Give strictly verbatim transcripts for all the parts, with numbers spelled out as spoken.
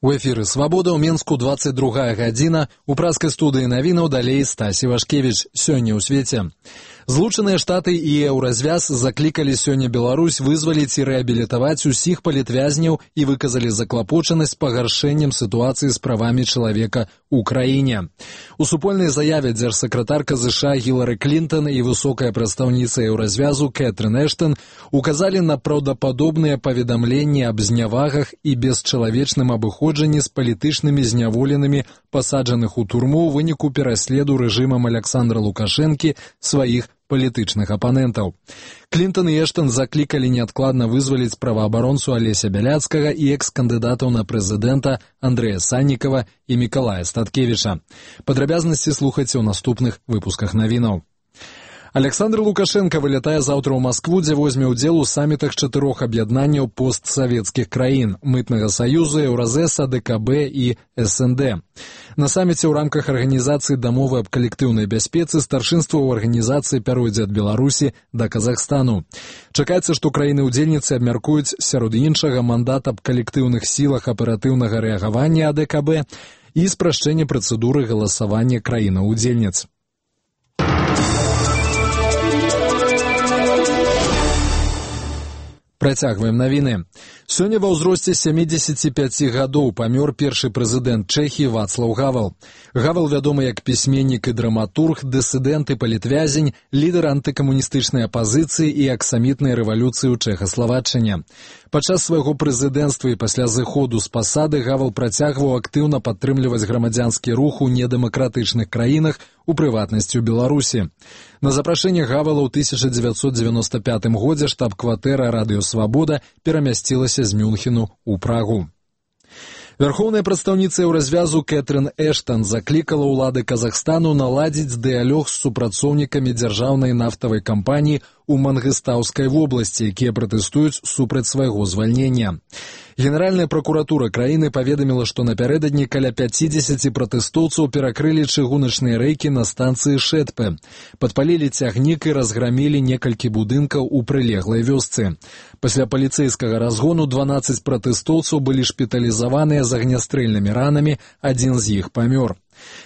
У эфіры «Свабода» ў Менску двадцать другая гадзіна. У праскай студыі навінаў далей Стасі Вашкевіч. Сёння ў свеце. Злучаныя Штаты і Еўразвяз заклікалі сёння Беларусь вызваліць і рэабілітаваць усіх палітвязняў і выказалі заклапочанасць пагаршэннем сітуацыі з правамі чалавека ў краіне. У супольнай заяве дзяржсакратарка ЗША Гілары Клінтон і высокая прадстаўніца Еўразвязу Кэтрын Эштон указалі на праўдападобныя паведамленні аб знявагах і бесчалавечным абыходжанні з палітычнымі зняволенымі, пасаджаных у турму ў выніку пераследу рэжымам Аляксандра Лукашэнкі сваіх палітычных апанентаў. Клінтон і Эштон заклікалі неадкладна вызваліць праваабаронцу Алеся Бяляцкага і экс-кандыдатаў на прэзідэнта Андрэя Саннікава і Мікалая Статкевіча. Падрабязнасці слухайце ў наступных выпусках навінаў. Аляксандр Лукашенко вылятае заўтра ў Маскву, дзе возьме ўдзел у самітах чатырох аб'яднанняў постсавецкіх краін – Мытнага саюзу, Еўразэса, ДКБ і СНД. На саміце ў рамках арганізацыі дамовы аб калектыўнай бяспецы старшынства ў арганізацыі пяройдзе ад Беларусі да Казахстану. Чакаецца, што краіны-ўдзельніцы абмяркуюць сярод іншага мандат аб калектыўных сілах аператыўнага рэагавання АДКБ і спрашчэнне працэдуры галасавання краінаў-удзельніц. Працягваем навіны. Сёння ва ўзросце сямідзесяці пяці гадоў памёр першы прэзідэнт Чэхіі Вацлаў Гавал. Гавал вядомы як пісьменнік і драматург, дысідэнт і палітвязень, лідар антыкамуністычнай апазіцыі і аксамітнай рэвалюцыі ў Чэхаславаччыне. Падчас свайго прэзідэнцтва і пасля зыходу з пасады Гавал працягваў актыўна падтрымліваць грамадзянскі рух у недэмакратычных краінах, у прыватнасці ў Беларусі. На запрашэнне Гавала ў тысяча дзевяцьсот дзевяноста пятым годзе штаб-кватэра «Радыё Свабода» перамясцілася з Мюнхену ў Прагу. Вярхоўная прадстаўніца Еўразвязу Кэтрын Эштон заклікала ўлады Казахстану наладзіць дыялог з супрацоўнікамі дзяржаўнай нафтавай кампаніі у Мангыстаўскай вобласці, якія пратэстуюць супраць свайго звальнення. Генеральная пракуратура краіны паведаміла, што напярэдадні каля пяцідзесяці пратэстоўцаў перакрылі чыгуначныя рэйкі на станцыі Шэтпе, падпалілі цягнік і разграмілі некалькі будынкаў у прылеглай вёсцы. Пасля паліцэйскага разгону дванаццаць пратэстоўцаў былі шпіталізаваныя з агнястрэльнымі ранамі, адзін з іх памёр.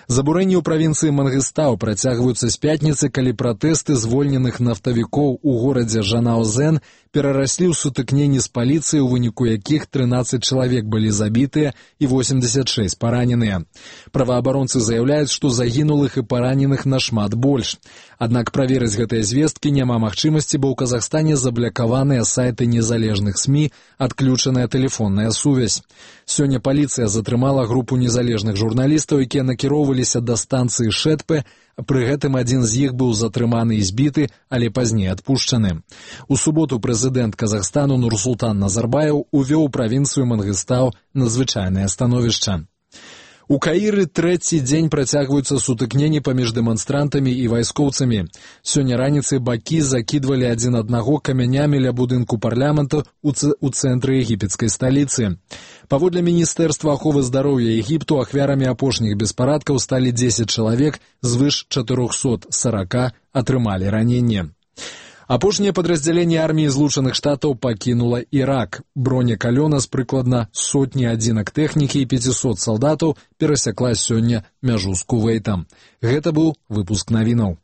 Забурэнні ў правінцыі Мангыстау працягваюцца з пятніцы, калі пратэсты звольненых нафтавікоў у горадзе Жанаозен перараслі ў сутыкненні з паліцыяй, у выніку якіх трынаццаць чалавек былі забітыя і восемьдесят шесть параненыя. Праваабаронцы заяўляюць, што загінулых і параненых нашмат больш. Аднак праверыць гэтыя звесткі няма магчымасці, бо ў Казахстане заблакаваныя сайты незалежных СМІ, адключаная тэлефонная сувязь. Сёння паліцыя затрымала групу незалежных журналістаў, якія накіроўваліся да станцыі Шэтпе, пры гэтым адзін з іх быў затрыманы і збіты, але пазней адпушчаны. У суботу прэзідэнт Казахстану Нурсултан Назарбаев увёў правінцыю Мангыстау надзвычайнае становішча. У Каіры трэці дзень працягваюцца сутыкненні паміж дэманстрантамі і вайскоўцамі. Сёння раніцай бакі закідвалі адзін аднаго камянямі ля будынку парламента ў цэнтры егіпецкай сталіцы. Паводле Міністэрства аховы здароўя Егіпту ахвярамі апошніх беспарадкаў сталі дзесяць чалавек, звыш чатырохсот сорока атрымалі раненне. Апошняе падраздзяленне арміі Злучаных Штатаў пакінула Ірак. Броня калёна з прыкладна сотні адзінак тэхнікі і пяцісот салдатаў перасякла сёння мяжу з Кувейтам. Гэта быў выпуск навінаў.